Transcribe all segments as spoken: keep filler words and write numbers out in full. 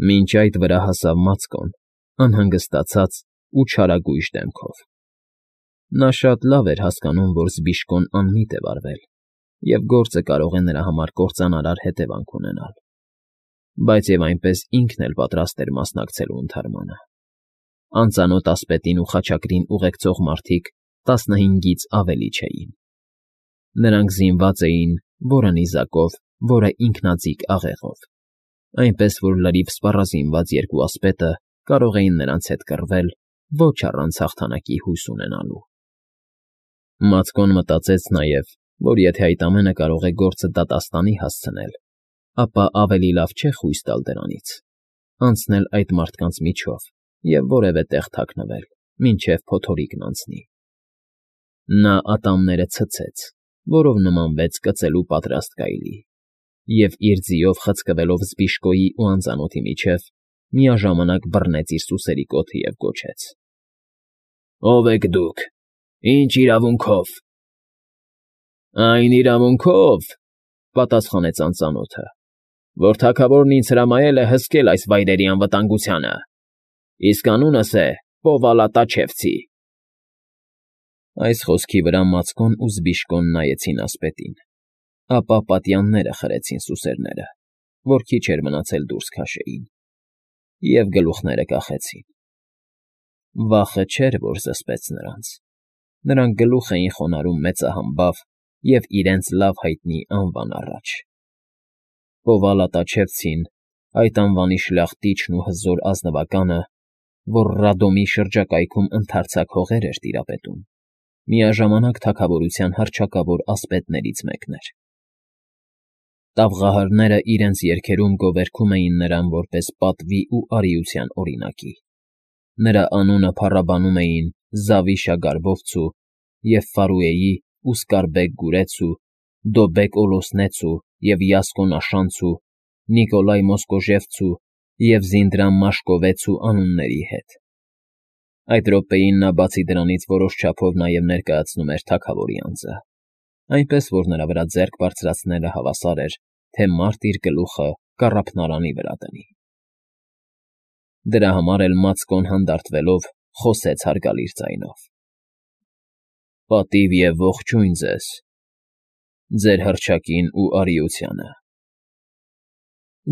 Մինչ այդ վրա հասավ Մացկոն, անհանգստացած ու չարագույժ դեմքով. նա շատ լավ էր հասկանում, որ զբիշկոն անմիտ է վարվել և գործը կարող է նրա համար կործանարար հետևանք ունենալ, բայց և այնպես ինքն էլ պատրաստ էր մասնակցելու ընդհարմանը. անծանոթ ասպետին ու խաչակրին ուղեկցող մարդիկ տասնհինգից ավելի չէին. նրանք զինված էին որը նիզակով, որը ինքնաձիգ աղեղով, այնպես որ լրիվ սպառազինված երկու ասպետը կարող էին նրանց հետ կռվել ոչ առանց հաղթանակի հույս ունենալու։ Մացկոն մտածեց նաև, որ եթե այդ ամենը կարող է գործը դատաստանի հասցնել, ապա ավելի լավ չէ խույս տալ դրանից, անցնել այդ մարդկանց միջով և որևէ տեղ թաքնվել, մինչև փոթորիկն անցնի։ Նա ատամները ցցեց, որով նմանվեց կծելու պատրաստ գայլի, և իր ձիով խցկվելով զբիշկոյի ու անծանոթի միջև, միաժամանակ բռնեց իր սուսերի կոթը և գոչեց. «Ո՞վ եք դուք, ի՞նչ իրավունքով»։ «Այն իրավունքով,֊ պատասխանեց անծանոթը,֊ որ թագավորն ինձ հրամայել է հսկել այս վայրերի անվտանգությանը, իսկ անունս է Պովալատաչևցի»։ Այս խոսքի վրա Մացկոն ու զբիշկոն նայեցին ասպետին, ապա պատյանները խրեցին սուսերները, որ քիչ էր մնացել դուրս քաշեին, և գլուխները կախեցին։ Վախը չէր, որ զսպեց նրանց. նրանք գլուխ էին խոնարհում մեծահամբավ և իրենց լավ հայտնի անվան առաջ։ Պովալատաչևցին, այդ անվանի շլախտիչն ու հզոր ազնվականը, որ Ռադոմի շրջակայքում ընդարձակ հողեր էր տիրապետում, միաժամանակ թագավորության հռչակավոր ասպետներից մեկն էր։ Տավղահարները իրենց երգերում գովերգում էին նրան որպես պատվի ու արիության օրինակի։ Նրա անունը փառաբանում էին Զավիշագարբովցու և Ֆարուեի ու Սկարբեկ Գուրեցու, Դոբեկ Օլոսնեցու և Յասկոն Աշանցու, Նիկոլայ Մոսկոժևցու և Զինդրամ Մաշկովեցու անունների հետ։ Այդ րոպեին նա բացի դրանից որոշ չափով նաև ներկայացնում էր թագավորի անձը, այնպես որ նրա վրա ձեռք բարձրացնելը հավասար էր, թե մարդ իր գլուխը կառափնարանի վրա դնի։ Դրա համար էլ Մացկոն հանդարտվելով խոսեց հարգալից ձայնով. «Պատիվ և ողջույն ձեզ, ձեր հռչակին ու արիությանը»։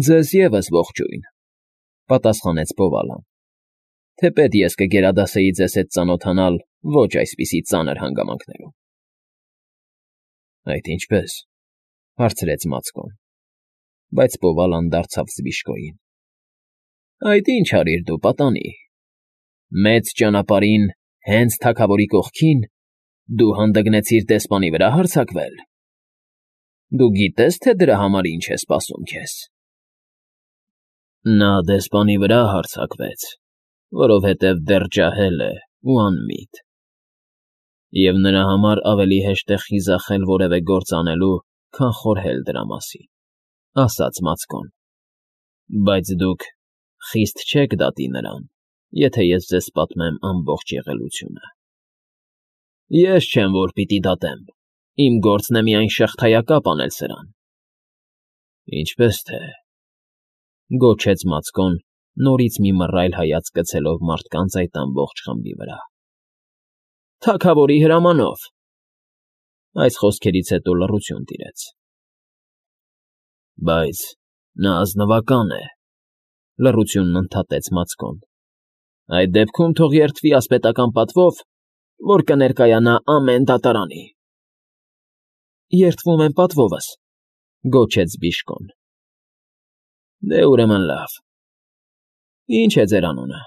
«Ձեզ ևս ողջույն», պատասխանեց Պովալան, «թեպետ ես կգերադասեի ձեզ հետ ծանոթանալ ոչ այսպիսի ծանր հանգամանքներում»։ «Այդ ինչպե՞ս,֊ հարցրեց Մացկոն, բայց Պովալան դարձավ զբիշկոյին. «Այդ ինչ արիր դու, պատանի, մեծ ճանապարհին, հենց թագավորի կողքին, դու հանդգնեցիր դեսպանի վրա հարձակվել։ Դու գիտե՞ս, թե դրա համար ինչ է սպասում քեզ»։ Նա դեսպանի վրա հարձակվեց, որովհետև դեռ ջահել է ու անմիտ, և նրա համար ավելի հեշտ է խիզախել որևէ գործ անելու, քան խորհել դրա մասին, ասաց Մացկոն, բայց դուք խիստ չեք դատի նրան, եթե ես ձեզ պատմեմ ամբողջ եղելությունը։ Ես չեմ, որ պիտի դատեմ, իմ գործն է միայն շղթայակապ անել սրան։ Ինչպե՞ս թե,֊ գոչեց Մացկոն, նորից մի մռայլ հայացք գցելով մարդկանց այդ ամբողջ խմբի վրա։ «Թագավորի հրամանով»։ Այս խոսքերից հետո լռություն տիրեց։ «Բայց նա ազնվական է,֊ լռությունն ընդհատեց Մացկոն,֊ այդ դեպքում թող երդվի ասպետական պատվով, որ կներկայանա ամեն դատարանի»։ «Երդվում եմ պատվովս», գոչեց զբիշկոն։ «Դե ուրեմն լավ. ի՞նչ է ձեր անունը»։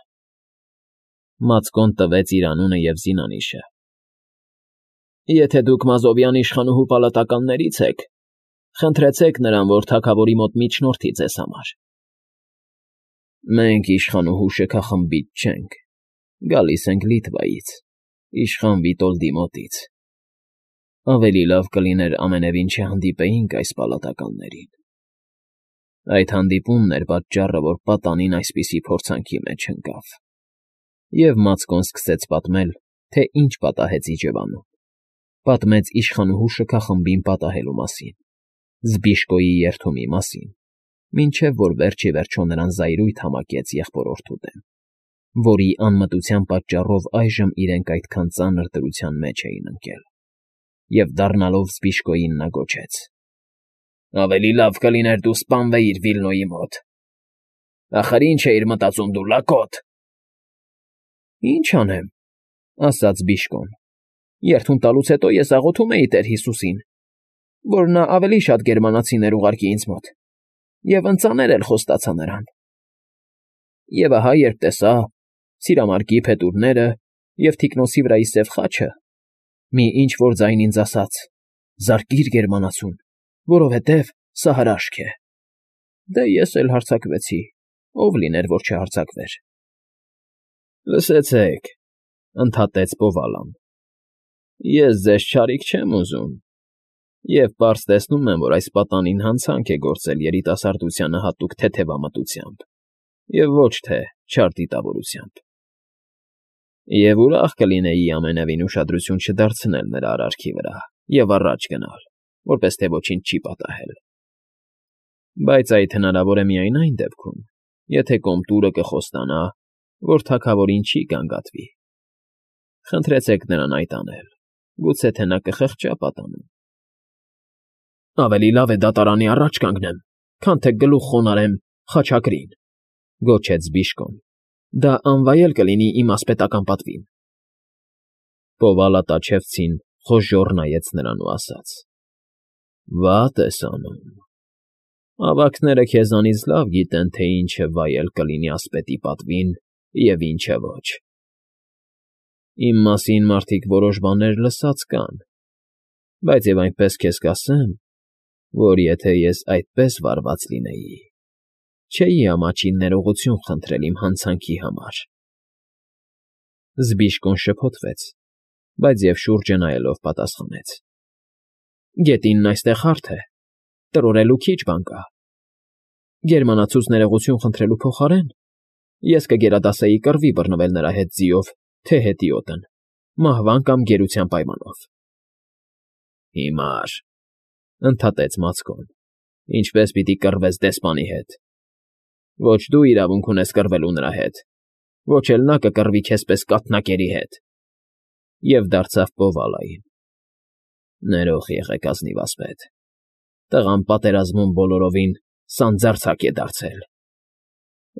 Մացկոն տվեց իր անունը և զինանիշը։ «Եթե դուք Մազովյան իշխանուհու պալատականներից եք, խնդրեցեք նրան, որ թագավորի մոտ միջնորդի ձեզ համար»։ «Մենք իշխանուհու շքախմբից չենք, գալիս ենք Լիտվայից, իշխան Վիտոլդի մոտից. ավելի լավ կլիներ ամենևին չհանդիպեինք այս պալատականներին։ Այդ հանդիպումն էր պատճառը, որ պատանին այսպիսի փորձանքի մեջ ընկավ»։ Եվ Մացկոն սկսեց պատմել, թե ինչ պատահեց իջևանում, պատմեց իշխանուհու շքախմբին պատահելու մասին, զբիշկոյի երդումի մասին, Մինչև որ վերջ ի վերջո նրան զայրույթ համակեց եղբորորդու դեմ, որի անմտության պատճառով այժմ իրենք այդքան ծանր դրության մեջ էին ընկել, և դառնալով Զբիշկոյին նա գոչեց. ֊ Ավելի լավ կլիներ դու սպանվեիր Վիլնոյի մոտ… Ախր ի՞նչ էիր մտածում դու, լակոտ… ֊ Ի՞նչ անեմ,֊ ասաց Բիժկոն,֊ երդում տալուց հետո ես աղոթում էի տեր Հիսուսին, որ նա ավելի շատ գերմանացիներ ուղարկի ինձ մոտ, և ընծաներ էլ խոստացա նրան… Եվ ահա երբ տեսա սիրամարգի փետուրները և թիկնոցի վրայի սև խաչը, մի ինչ֊որ ձայն ինձ ասաց. «Զարկիր գերմանացուն, որովհետև սա հրաշք է»… Դե ես էլ հարձակվեցի, ով լիներ, որ չհարձակվեր… ֊ Լսեցեք,֊ ընդհատեց Պովալան,֊ ես ձեզ չարիք չեմ ուզում և պարզ տեսնում եմ, որ այս պատանին հանցանք է գործել երիտասարդությանը հատուկ թեթևամտությամբ և ոչ թե չար դիտավորությամբ… Եվ ուրախ կլինեի ամենևին ուշադրություն չդարձնել նրա արարքի վրա և առաջ գնալ, որպես թե ոչինչ չի պատահել… Բայց այդ հնարավոր է միայն այն դեպքում, եթե Կոմտուրը կխոստանա, որ թագավորին չի գանգատվի… Խնդրեցեք նրան այդ անել, գուցե թե նա կխղճա պատանում… ֊ Ավելի լավ է դատարանի առաջ կանգնեմ, քան թե գլուխ խոնարհեմ խաչակրին,֊ գոչեց Բիժկոն,֊ դա անվայել կլինի իմ ասպետական պատվին… Պովալատաչևցին խոժոռ նայեց նրան ու ասաց. ֊ Վատ ես անում… Ավագները քեզանից լավ գիտեն, թե ինչ է վայել կլինի ասպետի պատվին և ինչը ոչ… Իմ մասին մարդիկ որոշ բաներ լսած կան, բայց և այնպես քեզ կասեմ, որ եթե ես այդպես վարված լինեի, չէի ամաչիլ ներողություն խնդրել իմ հանցանքի համար… Զբիժկոն շփոթվեց, բայց և շուրջը նայելով պատասխանեց. ֊ Գետինն այստեղ հարթ է, տրորելու քիչ բան կա… Գերմանացուց ներողություն խնդրելու փոխարեն ես կգերադասեի կռվի բռնվել նրա հետ ձիով թե հետիոտն, մահվան կամ գերության պայմանով… ֊ Հիմար,֊ ընդհատեց Մացկոն,֊ ինչպես պիտի կռվես դեսպանի հետ… Ոչ դու իրավունք ունես կռվելու նրա հետ, ոչ էլ նա կկռվի քեզ պես կաթնակերի հետ… Եվ դարձավ Պովալային,֊ Ներող եղեք, ազնիվ ասպետ, տղան պատերազմում բոլորովին սանձարձակ է դարձել…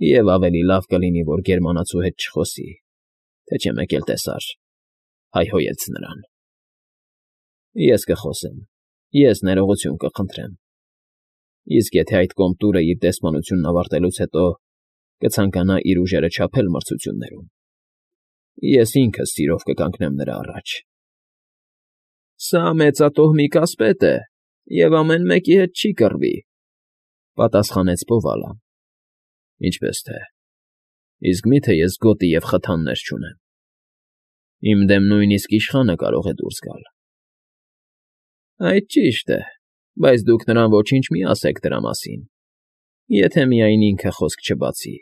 Եվ ավելի լավ կլինի, որ գերմանացու հետ չխոսի, թե չէ մեկ էլ տեսար, հայհոյեց նրան… Ես կխոսեմ, ես ներողություն կխնդրեմ… Իսկ եթե այդ Կոմտուրը իր դեսպանությունն ավարտելուց հետո կցանկանա իր ուժերը չափել մրցություններում, ես ինքս սիրով կկանգնեմ նրա առաջ… ֊ Սա մեծատոհմիկ ասպետ է և ամեն մեկի հետ չի կռվի,֊ պատասխանեց Պովալան,֊ ինչպես թե, իսկ մի՞թե ես գոտի և խթաններ չունեմ… Իմ դեմ նույնիսկ իշխանը կարող է դուրս գալ… ֊ Այդ ճիշտ է, բայց դուք նրան ոչինչ մի ասեք դրա մասին, եթե միայն ինքը խոսք չբացի,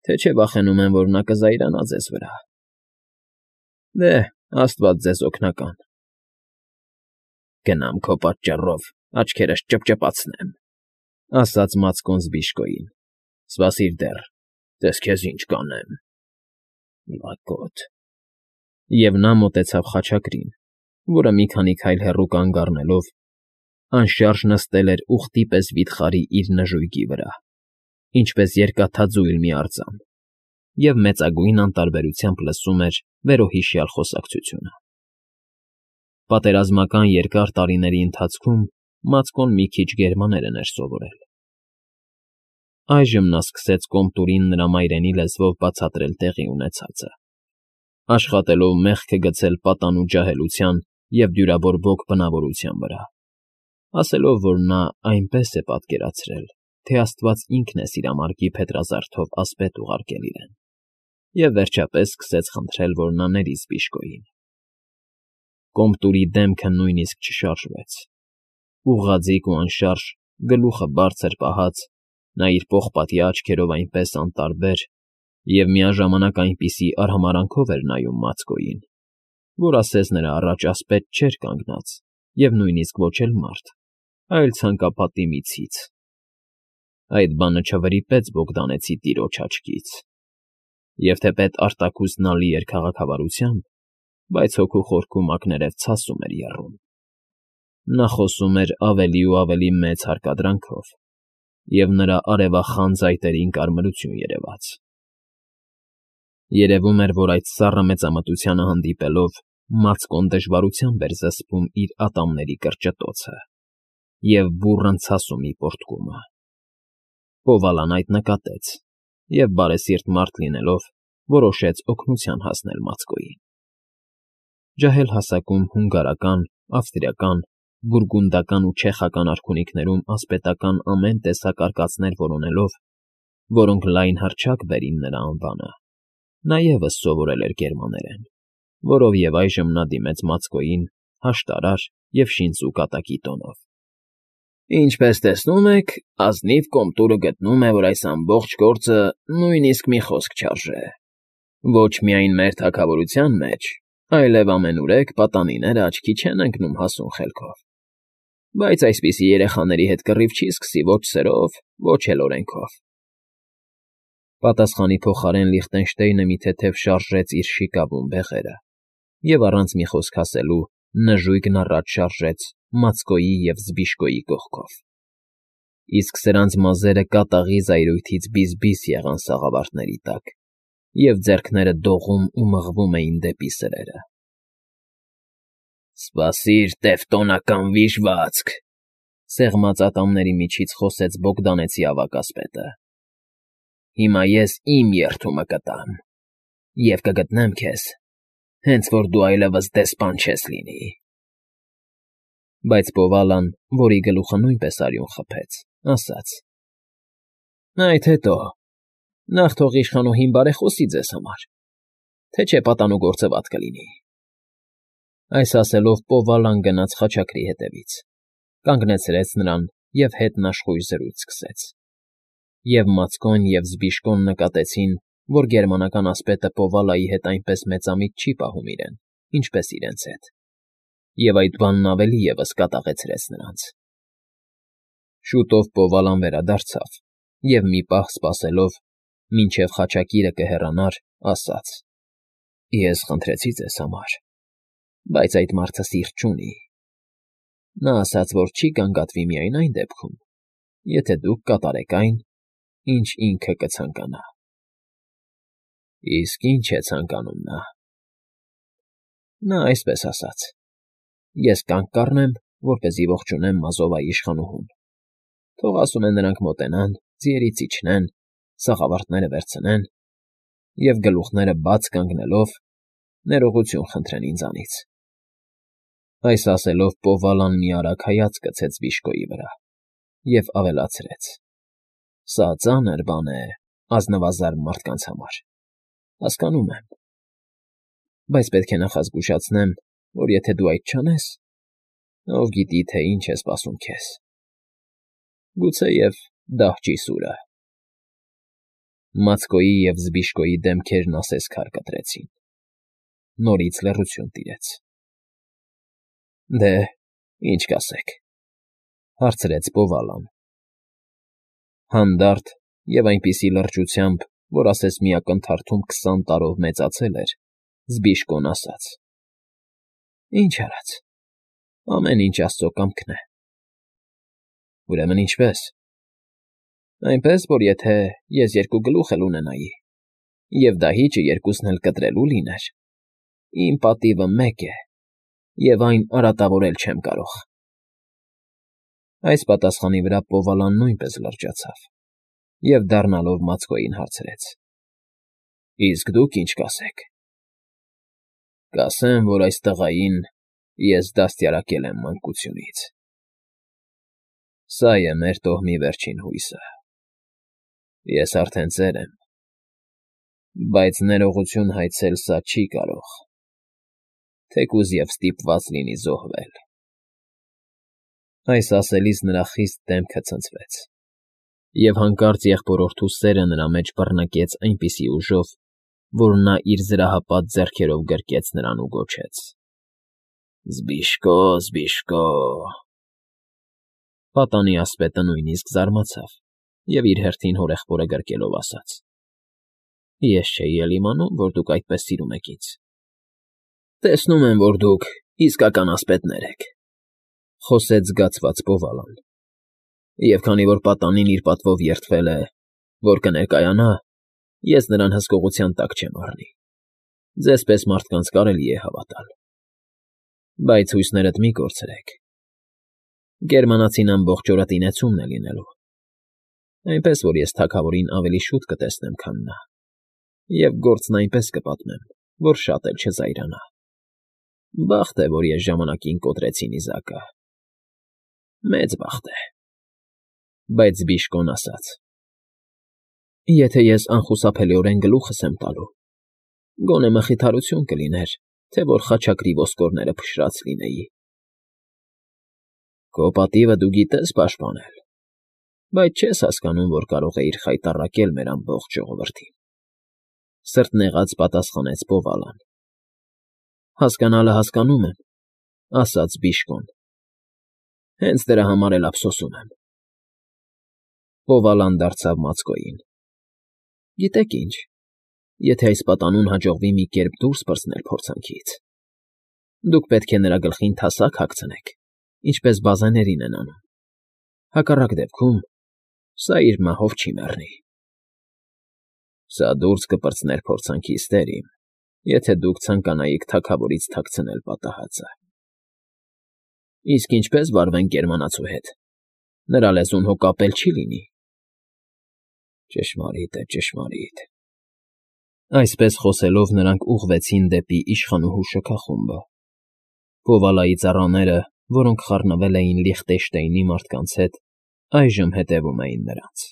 թե չէ վախենում եմ, որ նա կզայրանա ձեզ վրա… Դե, աստված ձեզ օգնական… ֊ Գնամ քո պատճառով աչքերս ճպճպացնեմ,֊ ասաց Մացկոն Զբիժկոյին,֊ սպասիր դեռ, տես քեզ ինչ կանեմ… Լակոտ… Եվ նա մոտեցավ խաչակրին, որը մի քանի քայլ հեռու կանգ առնելով, անշարժ նստել էր ուղտի պես վիթխարի իր նժույգի վրա, ինչպես երկաթաձույլ մի արձան, և մեծագույն անտարբերությամբ լսում էր վերոհիշյալ խոսակցությունը… Պատերազմական երկար տարիների ընթացքում Մացկոն մի քիչ գերմաներեն էր սովորել… Այժմ նա սկսեց Կոմտուրին նրա մայրենի լեզվով բացատրել տեղի ունեցածը, աշխատելով մեղքը գցել պատանու ջահելության և դյուրաբորբոք բնավորության վրա, ասելով, որ նա այնպես է պատկերացրել, թե աստված ինքն է սիրամարգի փետրազարդով ասպետ ուղարկել իրեն, և վերջապես սկսեց խնդրել, որ նա ների Զբիժկոյին… Կոմտուրի դեմքը նույնիսկ չշարժվեց… Ուղղաձիգ ու անշարժ, գլուխը բարձր պահած, նա իր պողպատյա աչքերով այնպես անտարբեր և միաժամանակ այնպիսի արհամարհանքով էր նայում Մացկոյին, որ ասես նրա առաջ ասպետ չէր կանգնած և նույնիսկ ոչ էլ մարդ, այլ ցանկապատի մի ցից… Այդ բանը չվրիպեց Բոգդանեցի տիրոջ աչքից, և թեպետ արտաքուստ նա լի էր քաղաքավարությամբ, բայց հոգու խորքում ակներև ցասում էր եռում. նա խոսում էր ավելի ու ավելի մեծ հարկադրանքով, և նրա արևախան ծայտերին կարմրություն երևաց. երևում էր, որ այդ սառը մեծամտությանը հանդիպելով Մացկոն դժվարությամբ էր զսպում իր ատամների կրճտոցը և բուռն ցասումի պոռթկումը. Պովալան այդ նկատեց և, բարեսիրտ մարդ լինելով, որոշեց օգնության հասնել Մացկոյին. ջահել հասակում հունգարական, ավստրիական, բուրգունդական ու չեխական արքունիքներում ասպետական ամեն տեսակ արկածներ որոնելով, որոնք լայն հռչակ բերին նրա անվանը, նա ևս սովորել էր գերմաներեն, որով և այժմ նա դիմեց Մացկոյին հաշտարար և շինծու կատակի տոնով. ֊ Ինչպես տեսնում եք, ազնիվ Կոմտուրը գտնում է, որ այս ամբողջ գործը նույնիսկ մի խոսք չարժե, ոչ միայն մեր թագավորության մեջ, այլև ամենուրեք պատանիները աչքի չեն ընկնում հասուն խելքով, բայց այսպիսի երեխաների հետ կռիվ չի սկսի ոչ սրով, ոչ էլ օրենքով… Պատասխանի փոխարեն Լիխտենշտեյնը մի թեթև շարժեց իր շիկավուն բեղերը և առանց մի խոսք ասելու նժույգն առաջ շարժեց Մացկոյի և Զբիշկոյի կողքով, իսկ սրանց մազերը կատաղի զայրույթից բիզ֊բիզ եղան սաղավարտների տակ, և ձեռքները դողում ու մղվում էին դեպի սրերը։ ֊ Սպասիր, տևտոնական վիժվածք,֊ սեղմած ատամների միջից խոսեց Բոգդանեցի ավագ ասպետը։֊ Հիմա ես իմ երդումը կտամ, և կգտնեմ քեզ, հենց որ դու այլևս դեսպան չես լինի… Բայց Պովալան, որի գլուխը նույնպես արյուն խփեց, ասաց. ֊ Այդ հետո… Նախ թող իշխանուհին բարեխոսի ձեզ համար, թե չէ պատանու գործը վատ կլինի… Այս ասելով Պովալան գնաց խաչակրի հետևից, կանգնեցրեց նրան և հետնաշխույժ զրույց սկսեց, և Մացկոն և Զբիշկոն նկատեցին, որ գերմանական ասպետը Պովալայի հետ այնպես մեծամիտ չի պահում իրեն, ինչպես իրենց հետ, և այդ բանն ավելի ևս կատաղեցրեց նրանց… Շուտով Պովալան վերադարձավ և մի պահ սպասելով, մինչև խաչակիրը կհեռանար, ասաց. ֊ Ես խնդրեցի ձեզ համար, բայց այդ մարդը սիրտ չունի… Նա ասաց, որ չի գանգատվի միայն այն դեպքում, եթե դուք կատարեք այն, ինչ ինքը կցանկանա… ֊ Իսկ ի՞նչ է ցանկանում նա… ֊ Նա այսպես ասաց. ես կանգ կառնեմ, որպեսզի ողջունեմ Մազովայի իշխանուհուն, թող, ասում է, նրանք մոտենան, ձիերից իջնեն, սաղավարտները վերցնեն և, գլուխները բաց կանգնելով, ներողություն խնդրեն ինձանից… Այս ասելով Պովալան մի արագ հայացք գցեց Զբիշկոյի վրա և ավելացրեց. ֊ Սա ծանր բան է ազնվազարդ մարդկանց համար, հասկանում եմ, բայց պետք է նախազգուշացնեմ, որ եթե դու այդ չանես, ով գիտի, թե ինչ է սպասում քեզ… Գուցեև դահճի սուրը… Մացկոյի և Զբիշկոյի դեմքերն ասես քար կտրեցին, նորից լռություն տիրեց։ ֊ Դե, ի՞նչ կասեք,֊ հարցրեց Պովալան։ Հանդարտ և այնպիսի լրջությամբ, որ ասես մի ակնթարթում քսան տարով մեծացել էր, Զբիշկոն ասաց. ֊ Ինչ արած, ամեն ինչ աստծո կամքն է… ֊ Ուրեմն ինչպե՞ս։ ֊ Այնպես, որ եթե ես երկու գլուխ էլ ունենայի, և դահիճը երկուսն էլ կտրելու լիներ, իմ պատիվը մեկ է, և այն արատավորել չեմ կարող… Այս պատասխանի վրա Պովալան նույնպես լրջացավ և, դառնալով Մացկոյին, հարցրեց. ֊ Իսկ դուք ի՞նչ կասեք։ ֊ Կասեմ, որ այս տղային ես դաստիարակել եմ մանկությունից… Սա է մեր տոհմի վերջին հույսը… Ես արդեն ծեր եմ, բայց ներողություն հայցել սա չի կարող, թեկուզ և ստիպված լինի զոհվել… Այս ասելիս նրա խիստ դեմքը ցնցվեց, և հանկարծ եղբորորդու սերը նրա մեջ բռնկեց այնպիսի ուժով, որ նա իր զրահապատ ձեռքերով գրկեց նրան ու գոչեց. ֊ Զբիշկո, Զբիշկո… Պատանի ասպետը նույնիսկ զարմացավ և իր հերթին հորեղբորը գրկելով ասաց. Ես չէի էլ իմանում, որ դուք այդպես սիրում եք ինձ։ Տեսնում եմ, որ դուք իսկական ասպետներ եք, խոսեց զգացված Բովալան, և քանի որ պատանին իր պատվով երդվել է, որ կներկայանա, ես նրան հսկողության տակ չեմ առնի, ձեզ պես մարդկանց կարելի է հավատալ, բայց հույսներդ մի կորցրեք, գերմանացին ամբողջ օրը տինեցումն է լինելու, այնպես որ ես թագավորին ավելի շուտ կտեսնեմ, քան նա, և գործն այնպես կպատմեմ, որ շատ էլ չզայրանա, բախտ է, որ ես ժամանակին կոտրեցի նիզակը, մեծ բախտ է, բայց Բիժկոն ասաց. Եթե ես անխուսափելիորեն գլուխս եմ տալու, գոնե մխիթարություն կլիներ, թե որ խաչակրի ոսկորները փշրած լինեի։ Քո պատիվը դու գիտես պաշտպանել, բայց չես հասկանում, որ կարող էիր խայտառակել մեր ամբողջ ժողովրդին, սրտնեղած պատասխանեց Բովալան։ Հասկանալը հասկանում եմ, ասաց Բիժկոն, հենց դրա համար էլ ափսոսում եմ։ Բովալան դարձավ Մացկոյին. Գիտեք ինչ, եթե այս պատանուն հաջողվի մի կերպ դուրս պրծնել փորձանքից, դուք պետք է նրա գլխին թասակ հագցնեք, ինչպես բազեներին են անում, հակառակ դեպքում սա իր մահով չի մեռնի։ Սա դուրս կպրծներ փորձանքից, տեր իմ, եթե դուք ցանկանայիք թագավորից թաքցնել պատահածը։ Իսկ ինչպե՞ս վարվենք գերմանացու հետ, նրա լեզուն հո կապել չի լինի։ Ճշմարիտ է, ճշմարիտ։ Այսպես խոսելով նրանք ուղղվեցին դեպի իշխանուհու շքախումբը։ Բովալայի ծառաները, որոնք խառնվել էին Լիխտենշտեյնի մարդկանց հետ, այժմ հետևում էին նրանց։